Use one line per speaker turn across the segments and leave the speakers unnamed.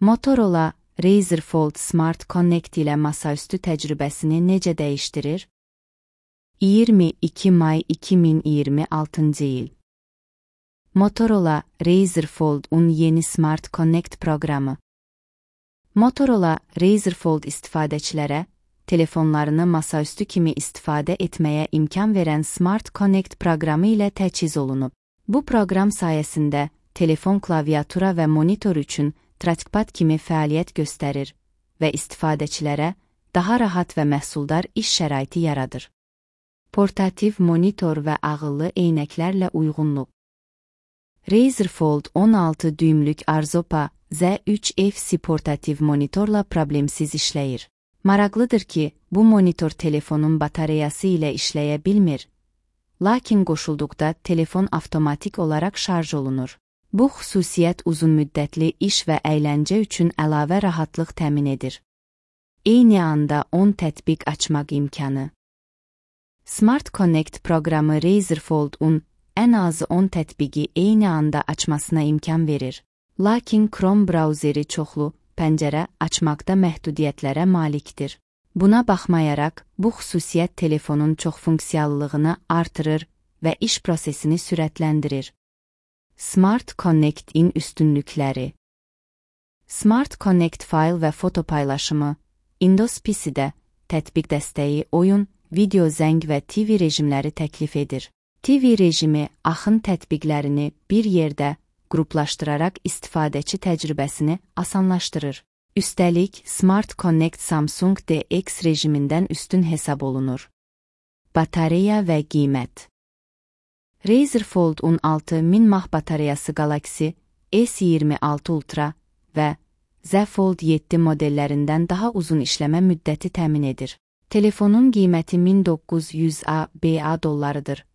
Motorola Razr Fold Smart Connect ilə masaüstü təcrübəsini necə dəyişdirir? 22 may 2026 il. Motorola Razr Fold-un yeni Smart Connect proqramı. Motorola Razr Fold istifadəçilərə telefonlarını masaüstü kimi istifadə etməyə imkan verən Smart Connect proqramı ilə təchiz olunub. Bu proqram sayəsində telefon klaviatura və monitor üçün trackpad kimi fəaliyyət göstərir və istifadəçilərə daha rahat və məhsuldar iş şəraiti yaradır. Portativ monitor və ağıllı eynəklərlə uyğunluq. Razr Fold 16 düymlük Arzopa Z3 FC portativ monitorla problemsiz işləyir. Maraqlıdır ki, bu monitor telefonun batareyası ilə işləyə bilmir, lakin qoşulduqda telefon avtomatik olaraq şarj olunur. Bu xüsusiyyət uzunmüddətli iş və əyləncə üçün əlavə rahatlıq təmin edir. Eyni anda 10 tətbiq açmaq imkanı. Smart Connect proqramı Razr Fold-un ən azı 10 tətbiqi eyni anda açmasına imkan verir. Lakin Chrome brauzeri çoxlu pəncərə açmaqda məhdudiyyətlərə malikdir. Buna baxmayaraq, bu xüsusiyyət telefonun çoxfunksiyallığını artırır və iş prosesini sürətləndirir. Smart Connect-in üstünlükləri. Smart Connect fayl və foto paylaşımı, Windows PC-də tətbiq dəstəyi oyun, video zəng və TV rejimləri təklif edir. TV rejimi axın tətbiqlərini bir yerdə qruplaşdıraraq istifadəçi təcrübəsini asanlaşdırır. Üstəlik, Smart Connect Samsung DX rejimindən üstün hesab olunur. Batareya və qiymət. Razr Fold-un 6000 mAh batareyası Galaxy S26 Ultra və Z Fold 7 modellərindən daha uzun işləmə müddəti təmin edir. Telefonun qiyməti 1900 ABA dollarıdır.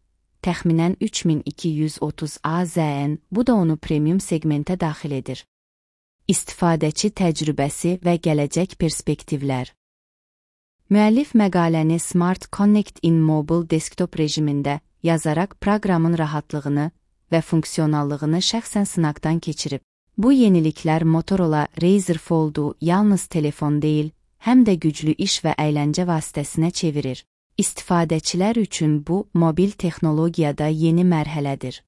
Təxminən 3230 AZN, bu da onu premium segmentə daxil edir. İstifadəçi təcrübəsi və gələcək perspektivlər. Müəllif məqaləni Smart Connect in Mobile Desktop rejimində yazaraq proqramın rahatlığını və funksionallığını şəxsən sınaqdan keçirib. Bu yeniliklər Motorola Razr Fold-u yalnız telefon deyil, həm də güclü iş və əyləncə vasitəsinə çevirir. İstifadəçilər üçün bu, mobil texnologiyada yeni mərhələdir.